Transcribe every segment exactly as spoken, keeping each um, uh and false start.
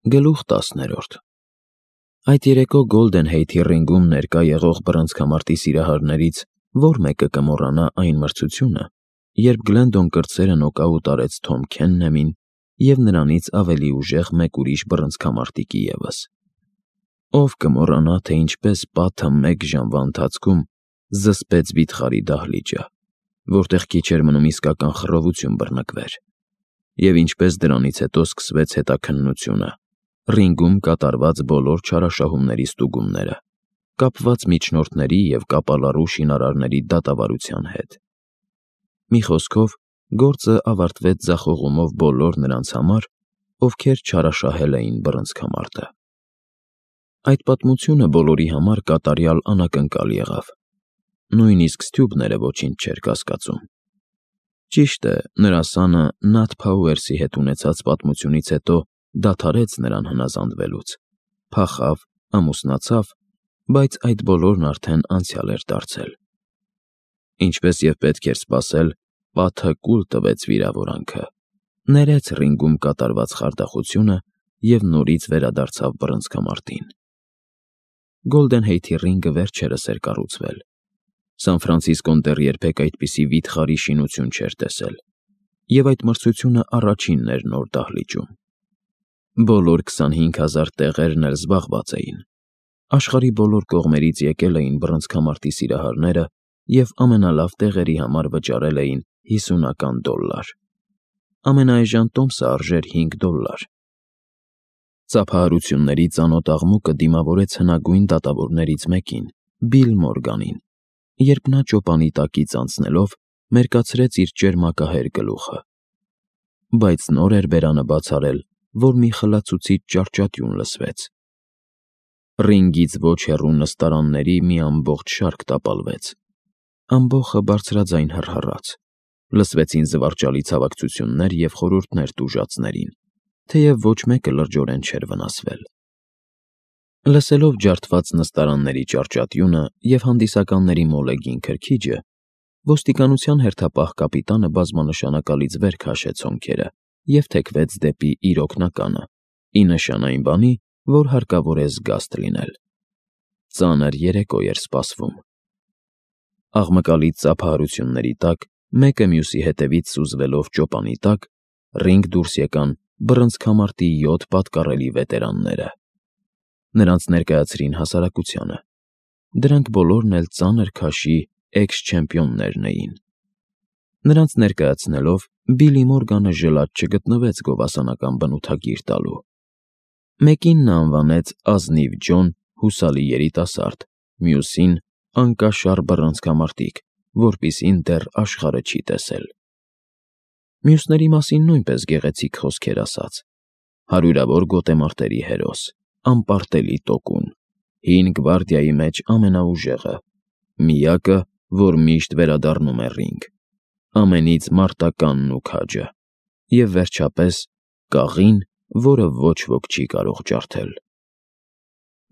Գլուխ տասներորդ Այդ երեկո Գոլդենհեյթի ռինգում ներկա եղող բռնցքամարտի սիրահարներից որ մեկը կմոռանա այն մրցությունը, երբ Գլենդոն կրտսերը նոկաուտ արեց Թոմ Քեննեմին և նրանից ավելի ուժեղ մեկ ուրիշ բռնցքամարտիկի ևս։ Ով կմոռանա, թե ինչպես պատը մեկ ժամվա ընթացքում զսպեց վիթխարի դահլիճը, որտեղ քիչ էր մնում իսկական խռովություն բռնկվեր, և ինչպես դրանից հետո սկսվեց հետաքննությունը, ռինգում կատարված բոլոր չարաշահումների ստուգումները, կապված միջնորդների և կապալառու շինարարների դատավարության հետ։ Մի խոսքով, գործը ավարտվեց ձախողումով բոլոր նրանց համար, ովքեր չարաշահել էին բռնցքամարտը։ Այդ պատմությունը բոլորի համար կատարյալ անակնկալ եղավ։ Նույնիսկ Սթյուբները ոչինչ չէր կասկածում։ Ճիշտ է, նրա սանը Նաթ Փաուերսի հետ ունեցած պատմությունից հետո դադարեց նրան հնազանդվելուց, փախավ, ամուսնացավ, բայց այդ բոլորն արդեն անցյալ էր դարձել։ Ինչպես և պետք էր սպասել, պատը կուլ տվեց վիրավորանքը, ներեց ռինգում կատարված խարդախությունը և նորից վերադարձավ բռնցքամարտին։ Գոլդենհեյթի ռինգը վերջերս էր կառուցվել։ Սան Ֆրանցիսկոն դեռ երբեք այդպիսի վիթխարի շինություն չէր տեսել, և այդ մրցությունը առաջինն էր նոր դահլիճում։ Բոլոր քսանհինգ հազար տեղերն էլ զբաղված էին։ Աշխարհի բոլոր կողմերից եկել էին բռնցքամարտի սիրահարները և ամենալավ տեղերի համար վճարել էին հիսունական դոլլար։ Ամենաէժան տոմսը արժեր հինգ դոլլար։ Ծափահարությունների ծանոթ աղմուկը դիմավորեց հնագույն դատավորներից մեկին՝ Բիլ Մորգանին, երբ նա ճոպանի տակից անցնելով մերկացրեց իր ճերմակահեր գլուխը։ Բայց նոր էր բերանը բաց արել, որ մի խլացուցիչ ճարճատյուն լսվեց։ Ռինգից ոչ հեռու նստարանների մի ամբողջ շարք տապալվեց։ Ամբոխը բարձրաձայն հռհռաց։ Լսվեցին զվարճալի ցավակցություններ և խորհուրդներ տուժածներին, թեև ոչ մեկը լրջորեն չէր վնասվել։ Լսելով ջարդված նստարանների ճարճատյունը և հանդիսականների մոլեգին քրքիջը, ոստիկանության հերթապահ կապիտանը բազմանշանակալից վեր քաշեց հոնքերը և թեքվեց դեպի իր օգնականը, ի նշան այն բանի, որ հարկավոր է զգաստ լինել։ Ծանր երեկո էր սպասվում։ Աղմկալից ծափահարությունների տակ, մեկը մյուսի հետևից սուզվելով ճոպանի տակ, ռինգ դուրս եկան բռնցքամարտի յոթ պատկառելի վետերանները։ Նրանց ներկայացրին հասարակությանը։ Դրանք բոլորն էլ ծանր քաշի էքս֊չեմպիոններն էին։ Նրանց ներկայացնելով Բիլի Մորգանը ժլատ չգտնվեց գովասանական բնութագիր տալու։ Մեկին նա անվանեց Ազնիվ Ջոն, հուսալի երիտասարդ, մյուսին՝ անկաշառ բռնցքամարտիկ, որպիսին դեռ աշխարհը չի տեսել։ Մյուսների մասին նույնպես գեղեցիկ խոսքեր ասաց. հարյուրավոր գոտեմարտերի հերոս, անպարտելի տոկուն, հին գվարդիայի մեջ ամենաուժեղը, միակը, որ միշտ վերադառնում է ռինգ, ամենից մարտականն ու քաջը, և վերջապես կաղին, որը ոչ ոք չի կարող ջարդել։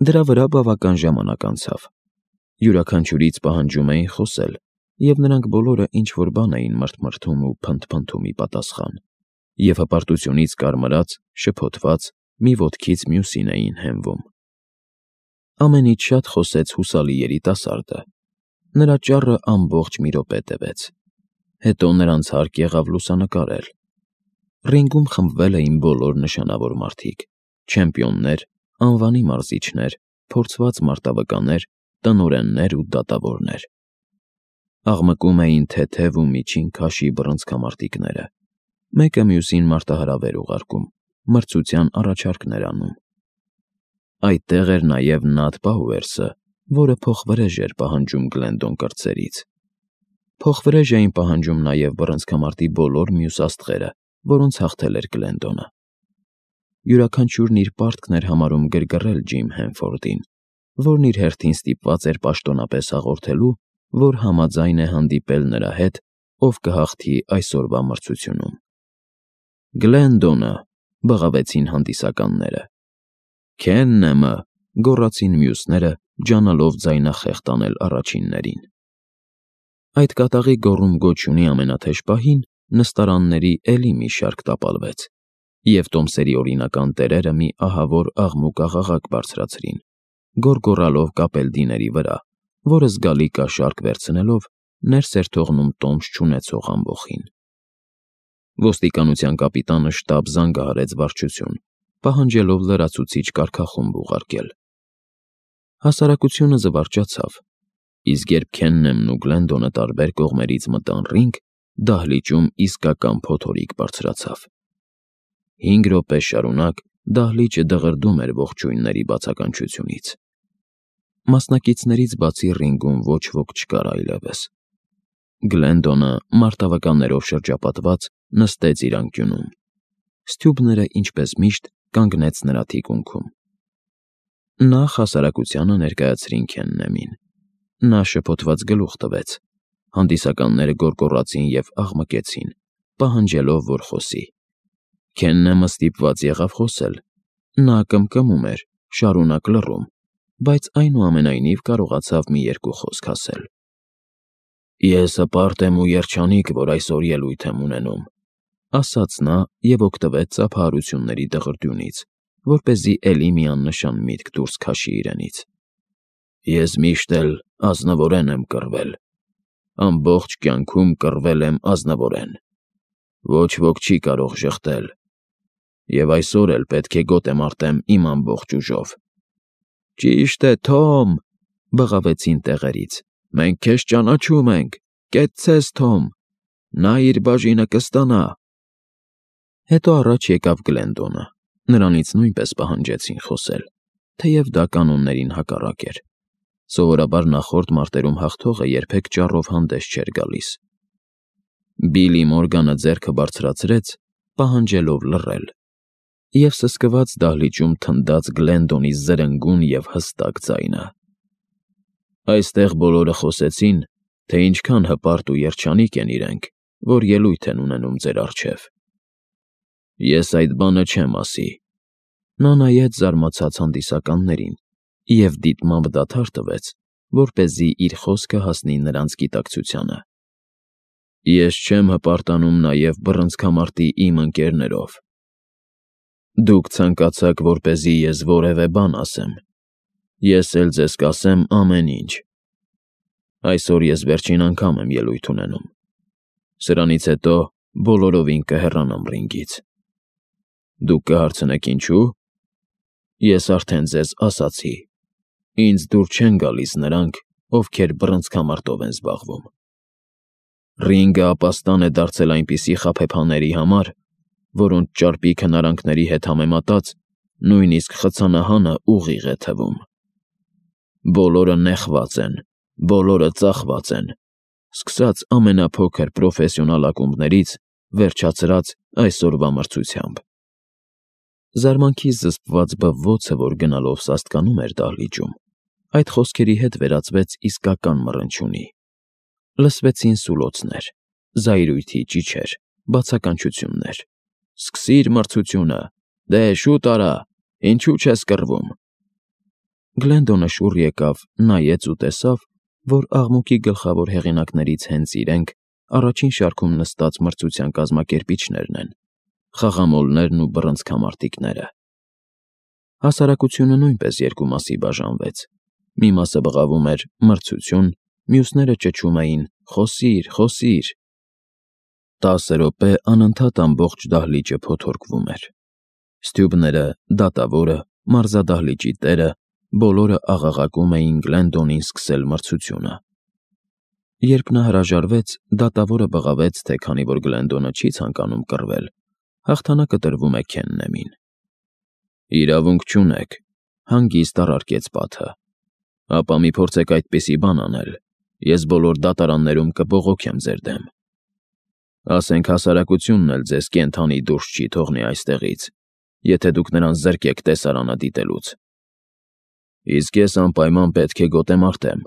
Դրա վրա բավական ժամանակ անցավ։ Յուրաքանչյուրից պահանջում էին խոսել, և նրանք բոլորը ինչ-որ բան էին մրթմրթում ու փնթփնթում ի պատասխան, և հպարտությունից կարմրած, շփոթված, մի ոտքից մյուսին էին հենվում։ Ամենից շատ խոսեց հուսալի երիտասարդը։ Նրա ճառը ամբողջ մի րոպե տևեց։ Հետո նրանց հարկ եղավ լուսանկարել։ Ռինգում խմբվել էին բոլոր նշանավոր մարդիկ՝ չեմպիոններ, անվանի մարզիչներ, փորձված մարտավկաններ, տնօրեններ ու դատավորներ։ Աղմկում էին թեթև ու միջին քաշի բռնցքամարտիկները, մեկը մյուսին մարտահրավեր ուղարկում, մրցության առաջարկներ անում։ Այդտեղ էր նաև Նաթ Փաուերսը, որը փոխվրեժ էր պահանջում Գլենդոն կրտսերից։ Փոխվրեժ էին պահանջում նաև բռնցքամարտի բոլոր մյուս աստղերը, որոնց հաղթել էր Գլենդոնը։ Յուրաքանչյուրն իր պարտքն էր համարում գրգռել Ջիմ Հենֆորդին, որն իր հերթին ստիպված էր պաշտոնապես հաղորդելու, որ համաձայն է հանդիպել նրա հետ, ով կհաղթի այսօրվա մրցությունում։ «Գլենդոնը», բղավեցին հանդիսականները։ «Քեննեմը», գոռացին մյուսները, ջանալով ձայնախեղդ անել առաջիններին։ Այդ կատաղի գոռում-գոչյունի ամենաթեժ պահին նստարանների էլի մի շարք տապալվեց, և տոմսերի օրինական տերերը մի ահավոր աղմուկ աղաղակ բարձրացրին, գոռգոռալով կապելդիների վրա, որը զգալի կաշառք վերցնելով ներս էր թողնում տոմս չունեցող ամբոխին։ Ոստիկանության կապիտանը շտապ զանգահարեց վարչություն, պահանջելով լրացուցիչ կարգախումբ ուղարկել։ Հասարակությունը զվարճացավ, իսկ երբ Քեննեմն ու Գլենդոնը տարբեր կողմերից մտան ռինգ, դահլիճում իսկական փոթորիկ բարձրացավ։ Հինգ րոպե շարունակ դահլիճը դղրդում էր ողջույնների բացականչությունից։ Մասնակիցներից բացի ռինգում ոչ ոք չկար այլևս։ Գլենդոնը, մարտավականներով շրջապատված, նստեց իր անկյունում։ Ստյուբները, ինչպես միշտ, կանգնեց նրա թիկունքում։ Նախ հասարակությանը ներկայացրին Քեննեմին։ Նա շփոթված գլուխ տվեց։ Հանդիսականները գոռգոռացին և աղմկեցին, պահանջելով, որ խոսի։ Քեննեմը ստիպված եղավ խոսել։ Նա կմկմում էր, շարունակ լռում, բայց այնուամենայնիվ կարողացավ մի երկու խոսք ասել։ «Ես հպարտ եմ ու երջանիկ, որ այսօր ելույթ եմ ունենում», ասաց նա և օգտվեց ծափահարությունների դղրդյունից, որպեսզի էլի մի աննշան միտք դուրս քաշի իրենից։ «Ես միշտ էլ ազնվորեն եմ կռվել։ Ամբողջ կյանքում կռվել եմ ազնվորեն։ Ոչ ոք չի կարող ժխտել։ Եվ այսօր էլ պետք է գոտեմարտեմ իմ ամբողջ ուժով»։ «Ճիշտ է, Թոմ», բղավեցին տեղերից։ «Մենք քեզ ճանաչում ենք։ Կեցցես, Թոմ։ Նա իր բաժինը կստանա»։ Հետո առաջ եկավ Գլենդոնը։ Նրանից նույնպես պահանջեցին խոսել, թեև դա կանոններին հակառակ էր։ Սովորաբար նախորդ մարտերում հաղթողը երբեք ճառով հանդես չէր գալիս։ Բիլլի Մորգանը ձեռքը բարձրացրեց, պահանջելով լռել, և սսկված դահլիճում թնդաց Գլենդոնի զրնգուն և հստակ ձայնը։ «Այստեղ բոլորը խոսեցին, թե ինչքան հպարտ ու երջանիկ են իրենք, որ ելույթ են ունենում ձեր առջև։ Ես այդ բանը չեմ ասի»։ Նա նայեց զարմացած հանդիսականներին և դիտմամբ դադար տվեց, որպեսզի իր խոսքը հասնի նրանց գիտակցությանը։ «Ես չեմ հպարտանում նաև բռնցքամարտի իմ ընկերներով։ Դուք ցանկացաք, որպեսզի ես որևէ բան ասեմ։ Ես էլ ձեզ կասեմ ամեն ինչ։ Այսօր ես վերջին անգամ եմ ելույթ ունենում։ Սրանից հետո բոլորովին կհեռանամ ռինգից։ Դուք կհարցնեք՝ ինչու՞։ Ես արդեն ձեզ ասացի. ինձ դուր չեն գալիս նրանք, ովքեր բռնցքամարտով են զբաղվում։ Ռինգը ապաստան է դարձել այնպիսի խաբեբաների համար, որոնց ճարպիկ հնարանքների հետ համեմատած նույնիսկ խցանահանը ուղիղ է թվում։ Բոլորը նեղված են, բոլորը ծախված են, սկսած ամենափոքր պրոֆեսիոնալ ակումբներից, վերջացրած այսօրվա մրցությամբ։ Զարմանքից զսպված բվոցը, որ գնալով սաստկանում էր դահլիճում, այդ խոսքերի հետ վերածվեց իսկական մռնչյունի։ Լսվեցին սուլոցներ, զայրույթի ճիչեր, բացականչություններ։ «Սկսիր մրցությունը, դե շուտ արա, ինչու չես կռվում»։ Գլենդոնը շուռ եկավ, նայեց ու տեսավ, որ աղմուկի գլխավոր հեղինակներից հենց իրենք, առաջին շարքում նստած մրցության կազմակերպիչներն են, խաղամոլներն ու բռնցքամարտիկները։ Հասարակությունը նույնպես երկու մասի բաժանվեց։ Մի մասը բղավում էր «մրցություն», մյուսները ճչում էին «խոսի՛ր, խոսի՛ր»։ Տասը րոպե անընդհատ ամբողջ դահլիճը փոթորկվում էր։ Ստյուբները, դատավորը, մարզադահլիճի տերը բոլորը աղաղակում էին Գլենդոնին սկսել մրցությունը։ Երբ նա հրաժարվեց, դատավորը բղավեց, թե քանի որ Գլենդոնը չի ցանկանում կռվել, հաղթանակը տրվում է Քեննեմին։ «Իրավունք չունեք», հանգիստ առարկեց պատը։ «Ապա մի փորձեք այդպիսի բան անել, ես բոլոր դատարաններում կբողոքեմ ձեր դեմ։ Ասենք հասարակությունն էլ ձեզ կենդանի դուրս չի թողնի այստեղից, եթե դուք նրան զրկեք տեսարանը դիտելուց։ Իսկ ես անպայման պետք է գոտեմարտեմ,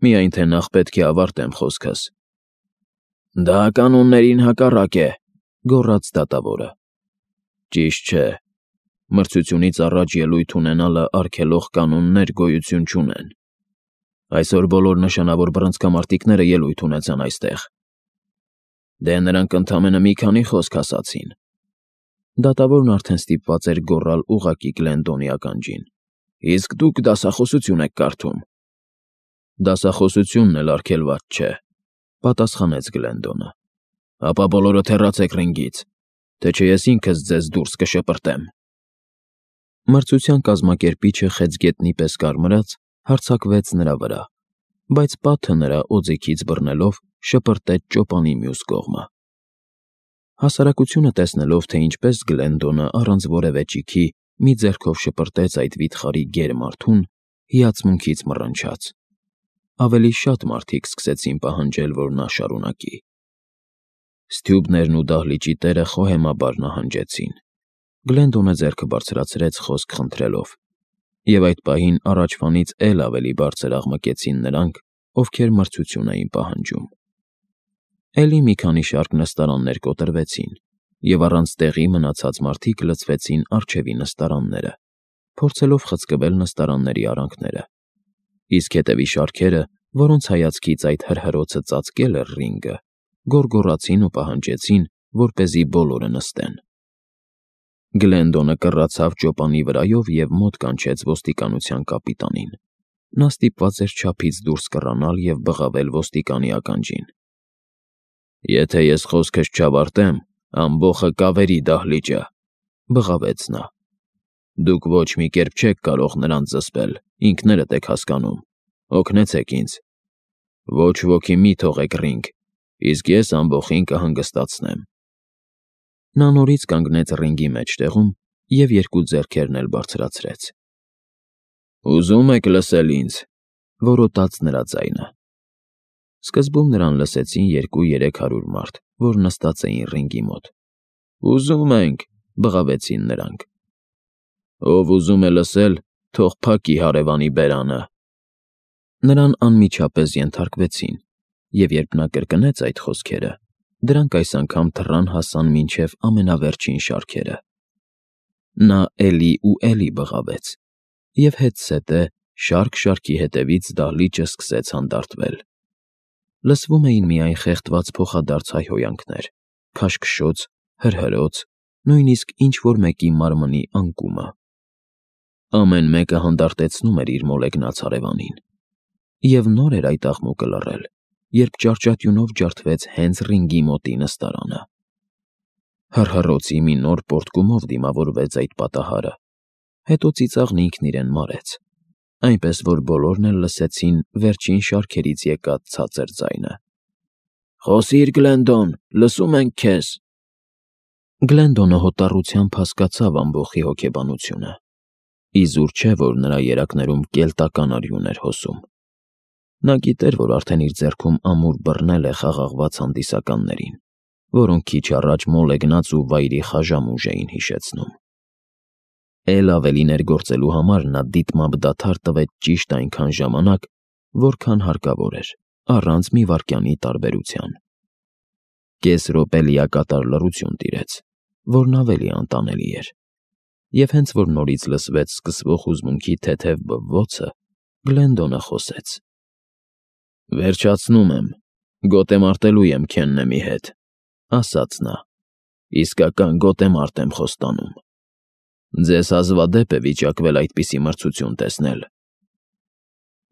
միայն թե նախ պետք է ավարտեմ խոսքս»։ «Դա կանոններին հակառակ է», գոռաց դատավորը։ «Ճիշտ չէ։ Մրցությունից առաջ ելույթ ունենալը արգելող կանոններ գոյություն չունեն։ Այսօր բոլոր նշանավոր բռնցքամարտիկները ելույթ ունեցան այստեղ։ Դե նրանք ընդամենը մի քանի խոսք ասացին։ Դատավորն արդեն ստիպված էր գոռալ ուղղակի Գլենդոնի ականջին. «Իսկ դուք դասախոսություն եք կարդում»։ «Դասախոսությունն էլ արգելված չէ», պատասխանեց Գլենդոնը։ «Ապա բոլորդ հեռացեք ռինգից, թե չէ ես ինքս ձեզ դուրս կշպրտեմ»։ Մրցության կազմակերպիչը խեցգետնի պես կարմրած հարձակվեց նրա վրա, բայց պատը նրա օձիքից բռնելով շպրտեց ճոպանի մյուս կողմը։ Հասարակությունը տեսնելով, թե ինչպես Գլենդոնը առանց որևէ ճիգի մի ձեռքով շպրտեց այդ վիթխարի գեր մարդուն, հիացմունքից մռնչաց։ Ավելի շատ մարդիկ սկսեցին պահանջել, որ նա շարունակի։ Ստյուբներն ու դահլիճի տերը խոհեմաբար նահանջեցին։ Գլենդոնը ձեռքը բարձրացրեց խոսք խնդրելով, և այդ պահին առաջվանից էլ ավելի բարձր աղմկեցին նրանք, ովքեր մրցություն էին պահանջում։ Էլի մի քանի շարք նստարաններ կոտրվեցին, և առանց տեղի մնացած մարդիկ լցվեցին առջևի նստարանները, փորձելով խցկվել նստարանների արանքները, իսկ հետևի շարքերը, որոնց հայացքից այդ հրհրոցը ծածկել էր ռինգը, գոռգոռացին ու պահանջեցին, որպեսզի բոլորը նստեն։ Գլենդոնը կռացավ ճոպանի վրայով և մոտ կանչեց ոստիկանության կապիտանին։ Նա ստիպված էր չափից դուրս կռանալ և բղավել ոստիկանի ականջին։ «Եթե ես խոսքս չավարտեմ, ամբոխը կավերի դահլիճը», բղավեց նա։ «Դուք ոչ մի կերպ չեք կարող նրանց զսպել, ինքներդ եք հասկանում, օգնեցեք ինձ։ Ոչ ոքի մի թողեք ռինգ, իսկ ես ամբոխին կհանգստացնեմ»։ Նա նորից կանգնեց ռինգի մեջտեղում և երկու ձեռքերն էլ բարձրացրեց։ «Ուզում եք լսել ինձ», որոտաց նրա ձայնը։ Սկզբում նրան լսեցին երկու֊երեք հարյուր մարդ, որ նստած էին ռինգի մոտ։ «Ուզում ենք», բղավեցին նրանք։ «Ով ուզում է լսել, թող փակի հարևանի բերանը»։ Նրան անմիջապես ենթարկվեցին, և երբ նա կրկնեց այդ խոսքերը, դրանք այս անգամ թռան հասան մինչև ամենավերջին շարքերը։ Նա էլի ու էլի բղավեց, և հետզհետե շարք շարքի հետևից դահլիճը սկսեց հանդարտվել։ Լսվում էին միայն խեղդված փոխադարձ հայհոյանքներ, քաշքշոց, հրհրոց, նույնիսկ ինչ֊որ մեկի մարմնի անկումը։ Ամեն մեկը հանդարտեցնում էր իր մոլեգնած հարևանին։ Եվ նոր էր այդ աղմուկը լռել, երբ ճարճատյունով ջարդվեց հենց ռինգի մոտի նստարանը։ Հռհռոցի մի նոր պոռթկումով դիմավորվեց այդ պատահարը, հետո ծիծաղն ինքն իրեն մարեց, այնպես որ բոլորն էլ լսեցին վերջին շարքերից եկած ցածր ձայնը. «Խոսի՛ր, Գլենդոն, լսում ենք քեզ»։ Գլենդոնը հոտառությամբ հասկացավ ամբոխի հոգեբանությունը։ Իզուր չէ, որ նրա երակներում կելտական արյուն էր հոսում։ Նա գիտեր, որ արդեն իր ձեռքում ամուր բռնել է խաղաղված հանդիսականներին, որոնք քիչ առաջ մոլեգնած ու վայրի խաժամուժ էին հիշեցնում։ Էլ ավելի ներգործելու համար նա դիտմամբ դադար տվեց ճիշտ այնքան ժամանակ, որքան հարկավոր էր, առանց մի վայրկյանի տարբերության։ Կես րոպե լիակատար լռություն տիրեց, որն ավելի անտանելի էր, և հենց որ նորից լսվեց սկսվող հուզմունքի թեթև բվվոցը, Գլենդոնը խոսեց. «Վերջացնում եմ, գոտեմարտելու եմ Քեննեմի հետ», ասաց նա։ «Իսկական գոտեմարտ եմ խոստանում։ Ձեզ հազվադեպ է վիճակվել այդպիսի մրցություն տեսնել։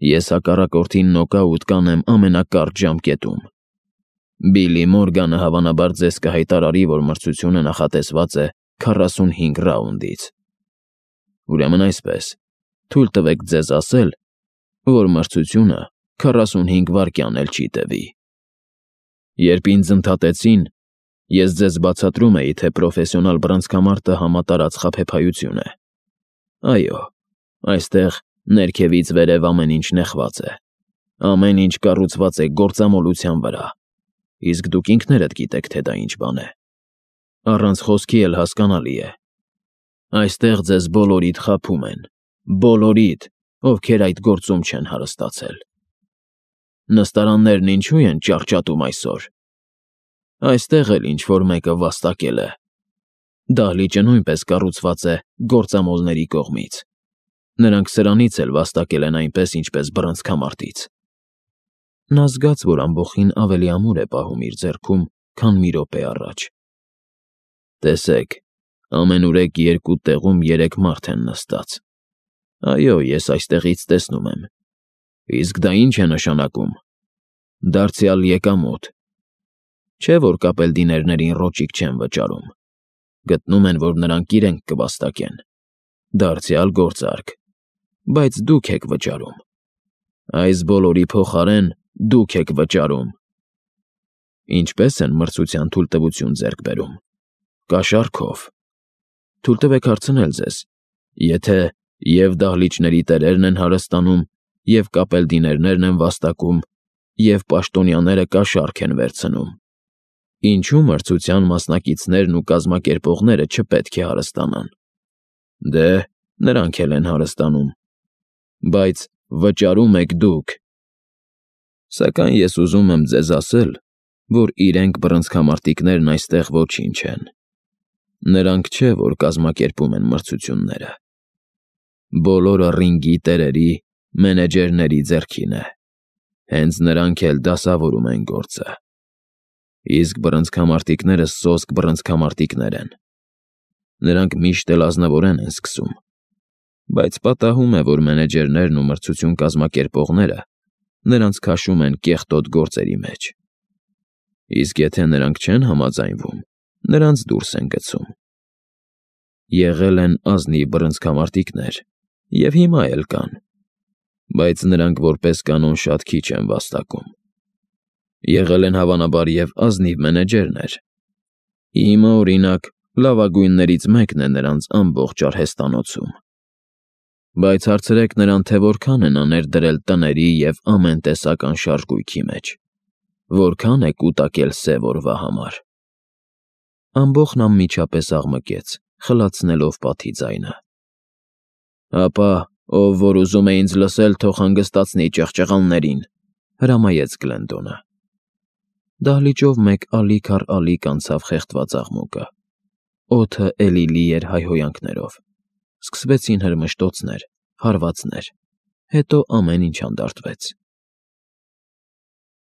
Ես հակառակորդին նոկաուտ կանեմ ամենակարճ ժամկետում։ Բիլլի Մորգանը հավանաբար ձեզ կհայտարարի, որ մրցությունը նախատեսված է քառասունհինգ ռաունդից։ Ուրեմն այսպես, թույլ տվեք ձեզ ասել, որ մրցությունը քառասունհինգ վայրկյան էլ չի տևի։ Երբ ինձ ընդհատեցին, ես ձեզ բացատրում էի, թե պրոֆեսիոնալ բռնցքամարտը համատարած խաբեբայություն է։ Այո, այստեղ ներքևից վերև ամեն ինչ նեղված է, ամեն ինչ կառուցված է գործամոլության վրա, իսկ դուք ինքներդ գիտեք, թե դա ինչ բան է։ Առանց խոսքի էլ հասկանալի է։ Այստեղ ձեզ բոլորիդ խաբում են, բոլորիդ, ովքեր այդ գործում չեն հարստացել։ Նստարաններն ինչո՞ւ են ճարճատում այսօր։ Այստեղ էլ ինչ֊որ մեկը վաստակել է։ Դահլիճը նույնպես կառուցված է գործամոլների կողմից։ Նրանք սրանից էլ վաստակել են այնպես, ինչպես բռնցքամարտից։ Նա զգաց, որ ամբոխին ավելի ամուր է պահում իր ձեռքում, քան մի րոպե առաջ։ Տեսեք, Ամենուրեք երկու տեղում երեք մարդ են նստած։ Այո, ես այստեղից տեսնում եմ։ Իսկ դա ի՞նչ է նշանակում։ Դարձյալ եկամուտ։ Չէ՞ որ կապելդիներներին ռոճիկ չեն վճարում։ Գտնում են, որ նրանք իրենք կվաստակեն։ Դարձյալ գործարք։ Բայց դուք եք վճարում։ Այս բոլորի փոխարեն դուք եք վճարում։ Ինչպե՞ս են մրցության թույլտվություն ձեռք բերում։ Կաշառքով։ Թույլ տվեք հարցնել ձեզ, եթե և դահլիճների տերերն են հարստանում, և կապելդիներներն են վաստակում, և պաշտոնյաները կաշառք են վերցնում, ինչու՞ մրցության մասնակիցներն ու կազմակերպողները չպետք է հարստանան։ Դե, նրանք էլ են հարստանում։ Բայց վճարում եք դուք։ Սակայն ես ուզում եմ ձեզ ասել, որ իրենք բռնցքամարտիկներն այստեղ ոչինչ են։ Նրանք չէ, որ կազմակերպում են մրցությունները։ Բոլորը ռինգի տերերի, մենեջերների ձեռքին է։ Հենց նրանք էլ դասավորում են գործը։ Իսկ բռնցքամարտիկները սոսկ բռնցքամարտիկներ են։ Նրանք միշտ էլ ազնվորեն են սկսում։ Բայց պատահում է, որ մենեջերներն ու մրցություն կազմակերպողները նրանց քաշում են կեղտոտ գործերի մեջ։ Իսկ եթե նրանք չեն համաձայնվում, նրանց դուրս են գցում։ Եղել են ազնիվ բռնցքամարտիկներ, և հիմա էլ կան, բայց նրանք որպես կանոն շատ քիչ են վաստակում։ Եղել են հավանաբար և ազնիվ մենեջերներ։ Հիմա, օրինակ, լավագույններից մեկն է նրանց ամբողջ արհեստանոցում։ Բայց հարցրեք նրան, թե որքան են աներ տների և ամեն տեսակ անշարժ գույքի մեջ, որքան է կուտակել սև օրվա համար։ Ամբոխն անմիջապես աղմկեց, խլացնելով պատի ձայնը։ Ապա, ով որ ուզում է ինձ լսել, թող հանգստացնի ճղճղալներին, հրամայեց Գլենդոնը։ Դահլիճով մեկ ալիք առ ալիք անցավ խեղդված աղմուկը։ Օդը էլի լի էր հայհոյանքներով։ Սկսվեցին հրմշտոցներ, հարվածներ, հետո ամեն ինչ հանդարտվեց։